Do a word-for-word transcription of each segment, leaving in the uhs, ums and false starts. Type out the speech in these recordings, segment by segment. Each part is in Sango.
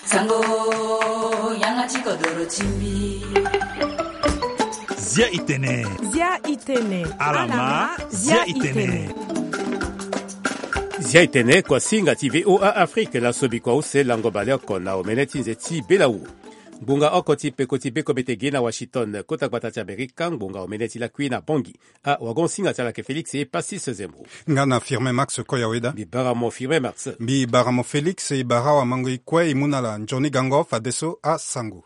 Sango, yanga ti kodoro ti mbi. Zia itene. Zia itene. Alama, zia itene. Zia itene, kuasinga ti V O A Afrique, laso bikua use lango baleoko na omene ti nze ti belawu. Ngbonga oko ti peko ti beko mbete gi na Washington, kota gbata ti Amerika, ngbonga omene ti lakui na Bangui. A wagon singa ti ala ke Félix e Passis Zembo. Nga na Firmin Max Koyaweda. Mbi bara mo Firmin Max. Mbi bara mo Félix, e bara awamango e kue e mu na ala nzoni gango fadeso asango.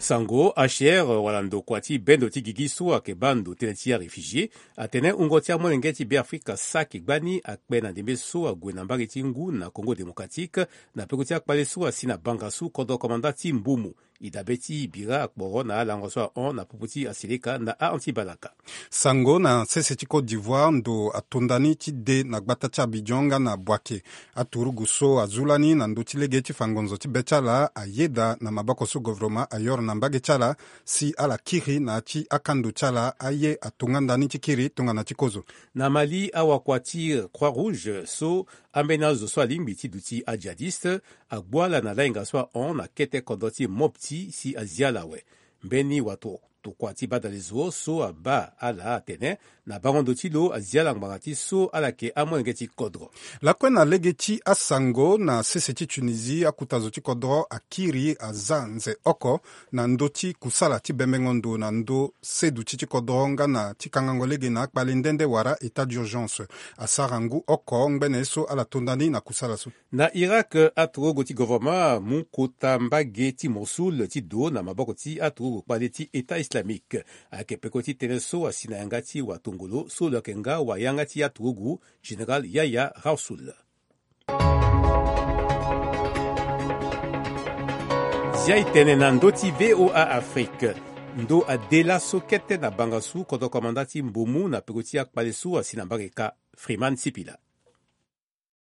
Sango, H C R wala ndokua ti bendo ti gigi so ayeke baa ndo tënë ti aréfugié, atene wungo ti amolenge ti Beafrika saki gbani akpe na ndembe so ague na mbage ti ngu na Congo Démocratique, na peko ti akpale so asi na banga so kodro komanda ti Mbumu. E dabe ti bira akporo na alango so ahon na popo ti aseleka na ahon ti balaka. Sango, na sese ti Côte d'Ivoire, ndo atonda ni ti de na gbata ti Abidjan nga na Boaké. Aturugu so azu lani na ndö ti lege ti fa ngonzo ti be ti ala ayeda na maboko so govoroma ayoro na mbage ti ala, si ala kiri na ya ti akando ti ala aye atonganda ni ti kiri tongana ti kozo. Na Mali, awakua ti Croix Rouge so ambeni azo so alingbi ti duti ajihadiste agbu ala na lahinga so ahon na kete kodro ti Mopti si azi ala awe. Mbeni watokua ti badalezo so abaa ala atene na bango ndo ti lo azi ala ngbanga ti so ala yeke amolenge ti kodro. Lakue na lege ti asango, na sese ti Tunisie, akuta zo ti kodro akiri aza nze oko na ndö ti kusala ti bembengo ndo na ndö seduti ti kodro nga na ti kangango lege na akpale nde nde wala état d'urgence. Asara ngu oko ngbene so ala tonda ni na kusala so. Na Irak, aturugu ti govoroma amu kota mbage ti Mosul ti do na maboko ti aturugu kpale ti État Islamique. Ayeke peko ti tënë so asi na yanga ti watongolo so lo yeke nga wayanga ti aturugu, Général Yahya Rasoul. Zia e tene na ndö ti V O A Afrique. Ndo ade laso kete na banga so kodro komanda ti Mbumu na peko ti akpale so asi na mbage ka. Freeman Sipila.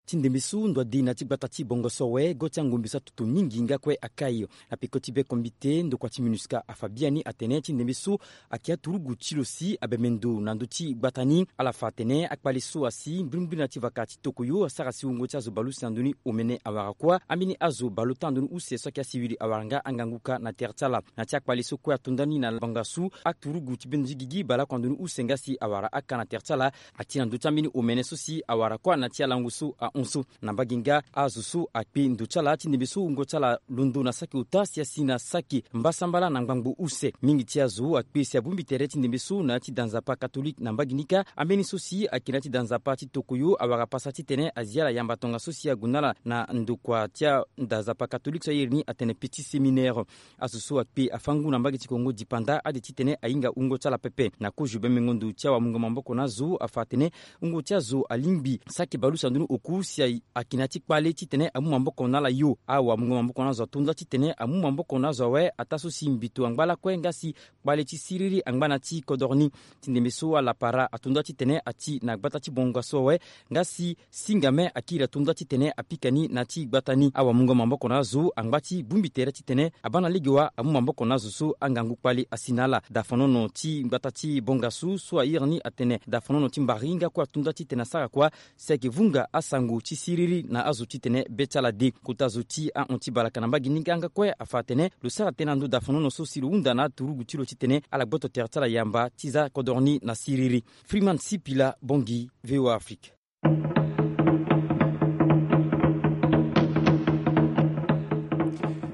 Ti ndembe so ndo ade na ti gbata ti bongo so awe, go ti angombe so atutu mingi nga kue akai. Na peko ti be kombite, ndokua ti MINUSCA afa biani atene ti ndembe so ayeke aturugu ti lo si abembe ndo na ndö ti gbata ni. Ala fa atene akpale so asi mbirimbiri na ti vaka ti tokoyo asara si wungo ti azo baleuse na ndoni omene awara kuâ. Ambeni azo baleota na ndoni use so ayeke asiwili awara nga angangu kâ na tere ti ala. Na ti akpale so kue atonda ni na bangasu, aturugu ti bendo ti gigi baleoko na ndoni use nga si awara akâ na tere ti ala. Ati na ndö ti ambeni omene so si awara kuâ na ti alango so ahon so. Na mbage nga azo so akpe ndo ti ala ti ndembe so wungo ti ala londo na saki ota si asi na saki mbasambala na ngbangbo use. Mingi ti azo akpe si abongbi tere ti ndembe so na ya ti da nzapa katolike na mbage ni kâ. Ambeni so si ayeke na ya ti da nzapa ti tokoyo awara pasa titene azi ala yamba tongaso si ague na ala na ndokua ti ada nzapa katolike so airi ni atene petit séminaire. Azo so akpe afa ngu na mbage ti Kongo dipanda ade titene ahinga wungo ti ala pepe. Na kozo bembengo ndo ti awamungo maboko na azo afa atene wungo ti azo alingbi saki baleuse na ndoni oku si a, ayeke na ya ti kpale titene amu maboko na ala yo. Awamungo maboko na azo atonda titene amu maboko na azo awe ataa so si mbito angba lakue nga si kpale ti siriri angba na ya ti kodoro ni. Ti ndembe so ala para atonda titene ati na gbata ti bongo so awe nga si singame akiri atonda titene apika ni na ti gbata ni. Awamungo maboko na azo angba ti bongbi tere titene abaa na lege wa amu maboko na azo so angangu kpale asi na ala. Dafanono ti gbata ti bongasu so airi ni atene dafanono ti mbari nga kue atonda titene asara kuâ si ayeke vunga asango ti siriri na azo titene be ti ala de. Kota zo ti ahon ti balaka na mbage ni nga nga kue afa atene lo sara tënë na ndö dafanono so si lo hunda na aturugu ti lo titene ala gboto tere ti ala yamba ti za kodoro ni na siriri. Freeman Sipila, Bangui, V O A Afrique.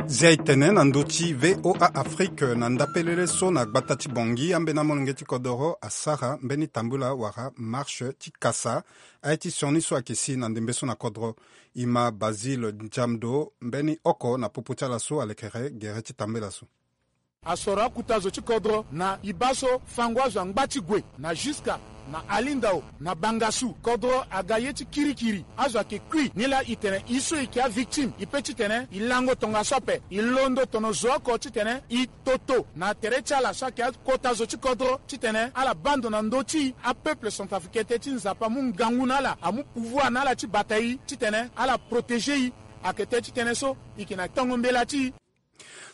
Zia e tene na ndö ti V O A Afrique na ndapelele so na gbata ti Bangui, ambeni amolenge ti kodoro asara mbeni tambula wala marche ti kasa aye ti sioni so ayeke si na ndembe so na kodro. E ma Basile Ndiamdo mbeni oko na popo ti ala so alekere gere ti tambela so. Asoro akuta zo ti kodro na e baa so fango azo angba ti gue na Juska, na Alindao, na Bangasu. Kodro aga ye ti kirikiri. Azo ayeke kui. Nilaa e tene e so e yeke avictime e pe titene e lango tongaso ape. E londo tono zo oko titene e toto na tere ti ala so ayeke akota zo ti kodro titene ala baa ndo na ndö ti apeuple centrafricain, tënë ti Nzapa amu ngangu na ala, amu pouvoir na ala ti bata e titene ala protéger e. Ayeke tënë ti tënë so e yeke na tongo mbela ti e.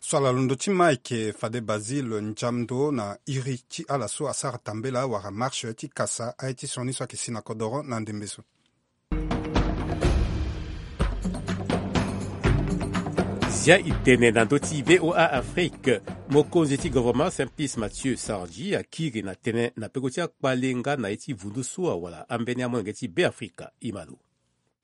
So ala londo ti ma ayeke fade Basile Ndiamdo na iri ti ala so asara tambela wala marche ti kasa aye ti sioni so ayeke si na kodoro na ndembe so. Zia e tene na ndö ti VOA Afrique. Mokonzi ti governement Simplice Mathieu Sarandji akiri na tënë na peko ti akpale nga na ye ti vundu so awara ambeni amolenge ti Beafrika. E ma lo.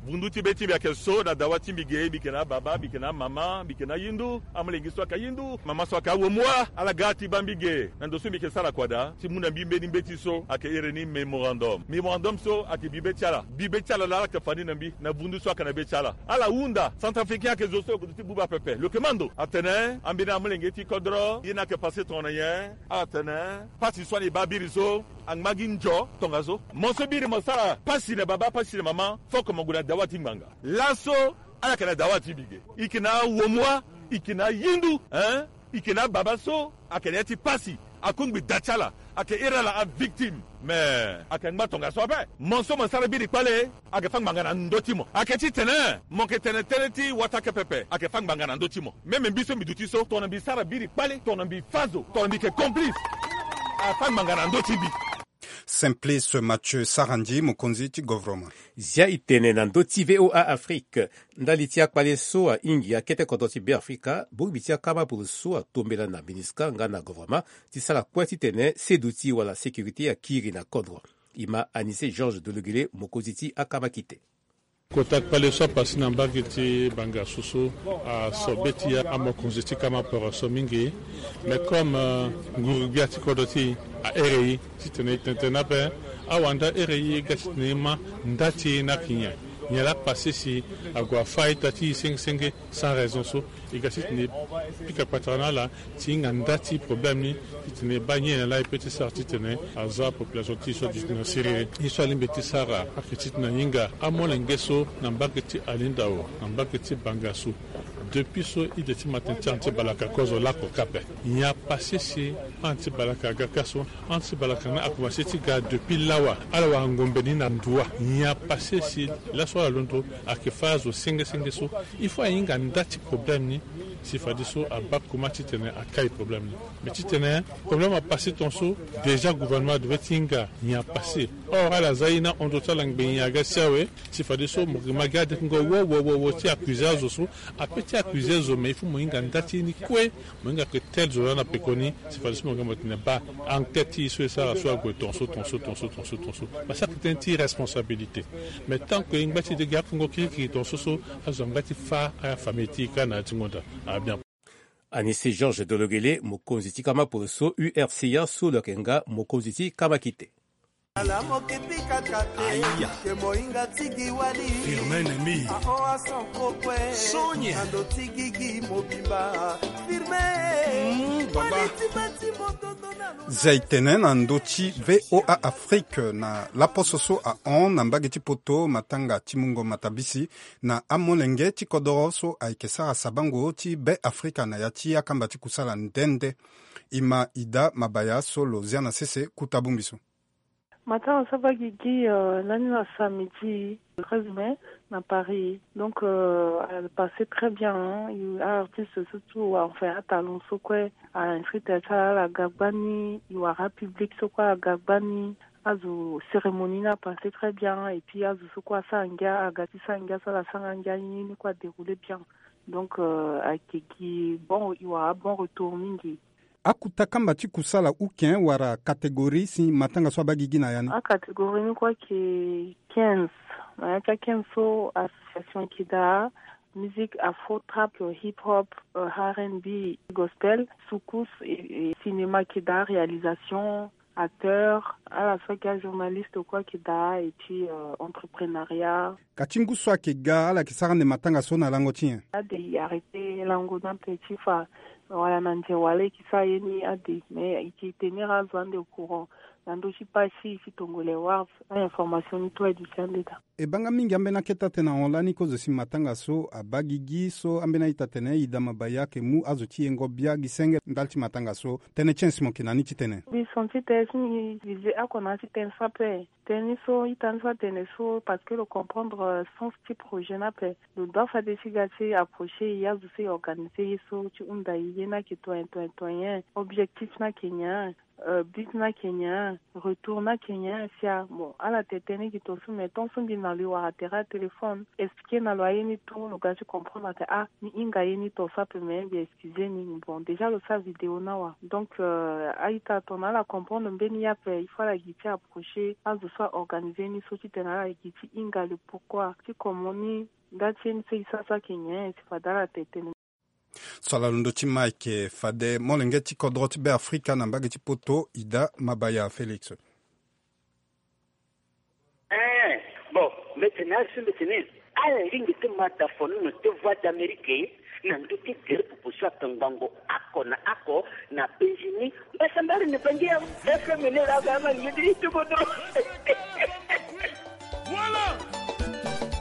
Vundu ti be ti mbi ayeke so na dawa ti mbi ge, mbi yeke na ababa, mbi yeke na amama, mbi yeke na ayindu, amolenge so ayeke ayindu, mama so ayeke awomua, ala ga ti baa mbi ge. Na ndo so mbi yeke sara kua daa ti mu na mbi mbeni mbeti so ayeke iri ni mémorandum. Mémorandum so ayeke bi be ti ala. Bi be ti ala laa ala yeke fa ni na mbi na vundu so ayeke na be ti ala. Ala hunda, Centrafricain ayeke zo so ayeke zo ti buba pepe. Lo yeke ma ndo atene ambeni amolenge ti kodro ye ni ayeke pase tongana nyen? Atene pasi so ani baa biri so angba gi nzo tongaso. Mo so biri mo sara pasi na baba, pasi na mama, fo oko mo gue na dawa ti ngbanga. Laso ala yeke na dawa ti mbi ge. E yeke na awomua, e yeke na ayindu, hein? E yeke na ababa so ayeke na ya ti pasi. Akungbi da ti ala, ayeke iri ala avictime. Me ayeke ngba tongaso ape. Mo so mo sara biri kpale, ayeke fâ ngbanga na ndö ti mo. Ayeke titene mo yeke tene tënë ti wata ake pepe, ayeke fâ ngbanga na ndö ti mo. Même mbi so mbi duti so, tongana mbi sara biri kpale, tongana mbi fâ zo, tongana mbi yeke complice, afâ ngbanga na ndö ti mbi. Simplice Mathieu Sarandji, mokonzi ti governement. Zia e tene na ndö ti VOA Afrique. Ndali ti akpale so ahingi akete kodro ti Beafrika, bongbi ti akama polo so atombela na MINUSCA nga na governement ti sara kue titene seduti wala sécurité akiri na kodro. E ma Anissé Georges Dologuélé, mokonzi ti akama kite. Kota kpale so apase na mbage ti Bangassou so aso be ti amokonzi ti kama poro so mingi. Mais comme, euh, nguru-gbia ti kodro ti e ahere e titene e tene tënë ape, awanda here e ga titene e ma nda ti e ni ayeke nyen. Nyen laa pase si ague afâ ita ti e senge senge sans raison so. E ga titene e pika kpatara na ala ti hinga nda ti problème ni, titene e baa nyen laa e peut ti sara titene aza population ti e so aduti na siriri. Ye so alingbi ti sara ayeke titene ahinga amolenge so na mbage ti Alindao, na mbage ti Bangassou. Depuis so ide ti matin ti anti balaka kozo lako kape. Nyen apase si anti balaka aga ka so? Anti balaka ni akomanse ti ga depuis lawa. Ala wara ngombe ni na ndua. Nyen apase si laso ala londo ayeke fâ azo senge senge so? Il faut ahinga nda ti problème ni si fadeso abaa koma titene akai problème ni. Mais titene problème apase tongaso, déjà gouvernement adeve ti hinga nyen apase. Or ala za ye ni ahon ndo ti ala ngbenyen aga si awe. Si fadeso mo yeke ma gi adekungo wo wo wo wo ti accuser azo so. Ape ti accuser zo, mais il faut mo hinga nda ti ye ni kue. Mo hinga ke tel zo laa na pekoni. Si fadeso mo yeke mo tene baa enquête ti e so e sara so ague tongaso tongaso tongaso tongaso tongaso. Parce que ayeke tënë ti responsabilité. Mais tant que e ngba ti e de gi akungo kirikiri tongaso so, azo angba ti fâ afamille ti e kâ na ya ti ngonda. Abien. Anissé Georges Dologuélé, mokonzi ti kama polo so, U R C A so lo yeke nga mokonzi ti kama kite. Ala mo ke pika kate. Aya. Ke mohinga ti gi wali. Firme ennemi. Aho ason kokue. Sonia. Na ndo ti gigi mobimba. Firme. Mm, baba. Wali ti ma ti motondo na lo. Zia e tene na ndö ti VOA Afrique na laposo so ahon na mbage ti poto matanga ti mungo matabisi na amolenge ti kodoro so ayeke sara sabango ti Beafrika na ya ti akamba ti kusala nde nde. E ma Ida Mabaya so lo zia na sese kota bongbi so. Matanga so abaa gigi, euh, lani na samedi treize mai na Paris. Donc, euh, a passé très bien, hein. E, a-artiste so tout, enfin, atalon so kue, a-inscrit ti ala, ala ga gbani, e wara public so kue aga gbani. Azo, cérémonie ni a passé très bien, et puis azo so kue asara ngia, aga ti sara ngia so ala sara ngia ni, ni kue a déroulé bien. Donc, euh, ayeke gi bon, e wara bon retour mingi. Akota kamba ti kusala uken wala catégorie si matanga so abaa gigi na ya ni? Acatégorie ni kue ayeke quinze. Na ya ti a-quinze so, association ayeke daa, musique afro, trap, hip hop, euh, R and B, gospel, soukous, et, et cinéma ayeke daa, réalisation, acteur, ala so ayeke ajournaliste kue ayeke daa, et puis, euh, entrepreneuriat. Ka ti ngu so ayeke ga, ala yeke sara ande matanga so na lango ti nyen? Ade, e arrêté lango ni ape ti fa wala na nze wala e yeke sara ye ni ade, mais e yeke tenir azo ande au courant na ndö ti page ti Tongolais Awards, a-information ni tout aduti ande daa. E baa nga mingi ambeni akete atene ahon lani kozo si matanga so abaa gigi so ambeni a-ita atene Ida Mabaya ayeke mu azo ti yengo bia gi senge ndali ti matanga so. Tënë ti nyen si mo yeke na ni ti tene? Mbi senti tene si mbi viser oko na ya ti tënë so ape. Tënë ni so ita ni so atene so, parce que lo comprendre, euh, sens ti projet ni ape. Lo doit fade ti ga ti approcher e, azo so e organiser ye so ti hunda e, ye ni ayeke tonyen tonyen tonyen, objectif ni ayeke nyen. Euh, bit na Kenya, retour na Kenya, sia. Bon, ala tene gi tonso, mais tonso mbi na lo e wara tere a téléphone, expliquer na lo aye ni tout, lo ga ti comprendre ake, ah, ni hinga ye ni tonso ape, mais mbi excusez ni. Bon, déjà lo sa vidéo na wa. Donc, euh, a-ita tongana ala comprendre mbeni ye ape, il faut ala gi ti approcher azo so a organiser ni so ti tene ala gi ti hinga lo pourquoi ti comment ni nda ti ye ni so e sa so ake nyen, si fade ala tene. So ala londo ti ma ayeke fade molenge ti kodro ti Be Afrika na mbage ti poto, Ida Mabaya Félix. Eh, bon, mbetene, azo so mbetene, ala lingbi ti ma da fonono ti Voix d'Amérique na ndö ti gere popo so atongbango oko na oko na Benjini. Mbasambari ni bangi ya F M ni la ga ma ni ti kodro. Voilà.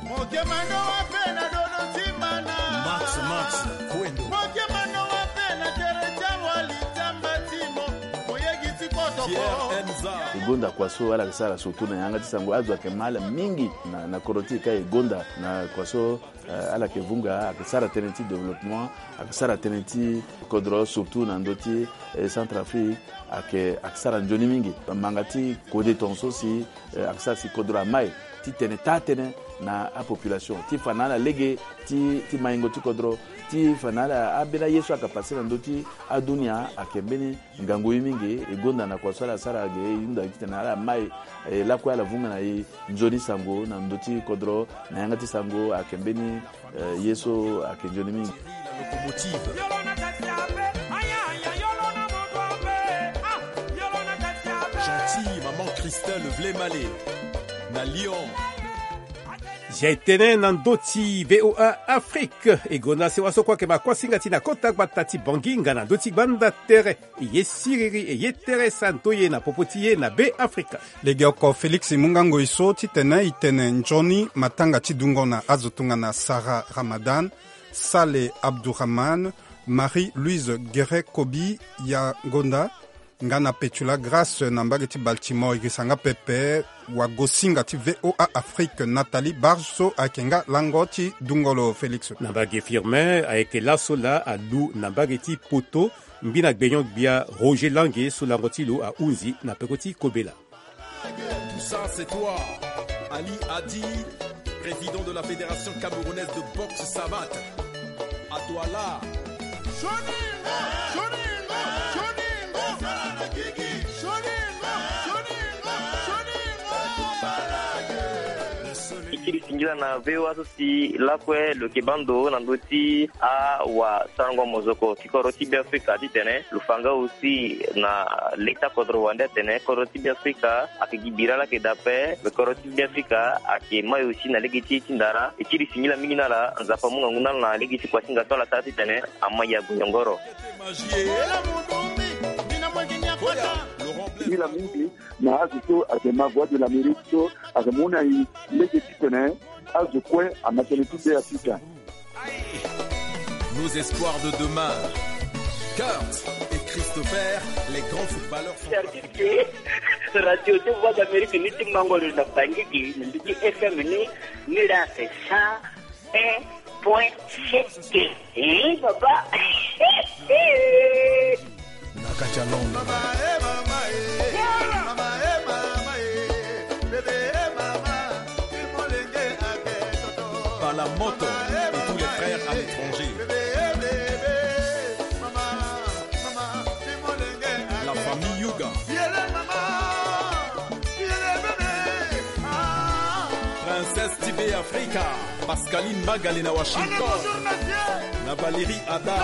Mokemano wape na dono timana. Max, Max, Kwendo. Mokemano wape na tere tia wali tia mbatimo. Moyegi ti kotoko. Pierre Enza. E gonda kua so ala yeke sara surtout na yanga ti sango, azo ayeke ma ala mingi na, na kodro ti e ka e gonda na kua so, eh, ala yeke vunga, ayeke sara tënë ti développement, ayeke sara tënë ti kodro surtout na ndö ti, eh, Centrafrique, ayeke, ayeke sara nzoni mingi. Manga ti kode tongaso si, eh, ayeke sara si kodro amai ti tene taa tënë na apopulation ti fa na ala lege ti, ti maingo ti kodro, ti fa na ala ambeni aye so ayeke pase na ndö ti adunia, ayeke mbeni ngangu ye mingi. E gonda na kua so ala sara ge, e hunda titene ala mai, eh, lakue ala vunga na e nzoni sango na ndö ti kodro, na yanga ti sango ayeke mbeni, eh, ye so ayeke nzoni mingi. Gentil, maman Christelle Vlemale, na Lyon. Zia e tene na ndö ti V O A Afrique, e gonda sewa so kue ayeke ma kuasinga ti na kota gbata ti Bangui nga na ndö ti gbanda tere. E ye siriri, e ye tere santo ye na popo ti ye na Be Afrika. Legeoko Félix e mu nga ngoi so titene e tene nzoni matanga ti dungo na azo tongana Sarah Ramadan, Saleh Abdourahmane, Marie-Louise Guéret Kobi Yagonda, nga na Petula Grâce na mbage ti Baltimore. E girisa nga pepe wagosinga ti V O A Afrique Nathalie Barge so ayeke nga lango ti dungo lo Félix. Na mbage Firmin ayeke laso laa alu na mbage ti Poto, mbi na gbenyo-gbia Roger Lange so lango ti lo ahunzi na peko ti kobela. Tout ça, c'est toi, Ali Hadi, président de la Fédération camerounaise de boxe savate. À toi là. E kiri singila na V O A so si lakue lo yeke baa ndo na ndö ti awasarango mozoko ti kodro ti Be Afrika titene lo fa nga aussi na leta kodro wande atene kodro ti Be Afrika ayeke gi bira laa ayeke daa ape. Me kodro ti Be Afrika ayeke mai aussi na lege ti ye ti ndara. E kiri singila mingi na ala, Nzapa amu ngangu na ala na lege ti kuasinga so ala sara titene amai ague nyongoro. Singila mingi na azo so ayeke ma Voix de l'Amérique so ayeke mu na e lege titene azo kue ama tënë ti Be Afrika. Nos espoirs de demain. Kurt et Christopher, les grands footballeurs centrafricains. Service radio ti Voix d'Amérique ni ti mango lo na Bangui gi na ndö ti F M ni, ni laa c'est cent un point sept. Eh, papa. Na kati ya Londres. Palamoto et tous les frères à l'étranger. La famille Yuga. Princesse ti Be Afrika, Pascaline Magale na Washington. Na Valérie Ada.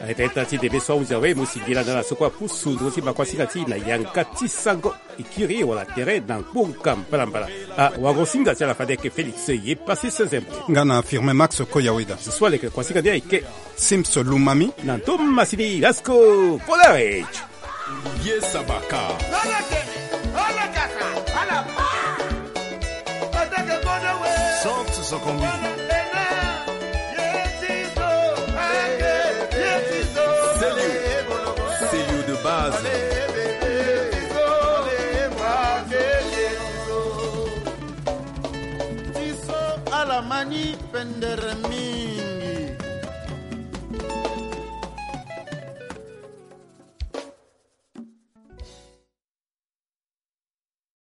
Ayeke ita ti debe so ahunzi awe mo singila na ala so kue apusu nduru ti makuasinga ti na yanga ti sango. E kiri wala tere na ngbonga mbalambala. Awagosinga ti ala fade ayeke Félix Ye Pasi Sezembo. Nga na Firmin Max Koyaweda. Zo so aleke kuasinga ni ayeke Sims Lumami. Na ndo masini Lasco Polaroid. Olivier Sabaka. Chante son combien. Célio, Célio de base. Alamani penderemi.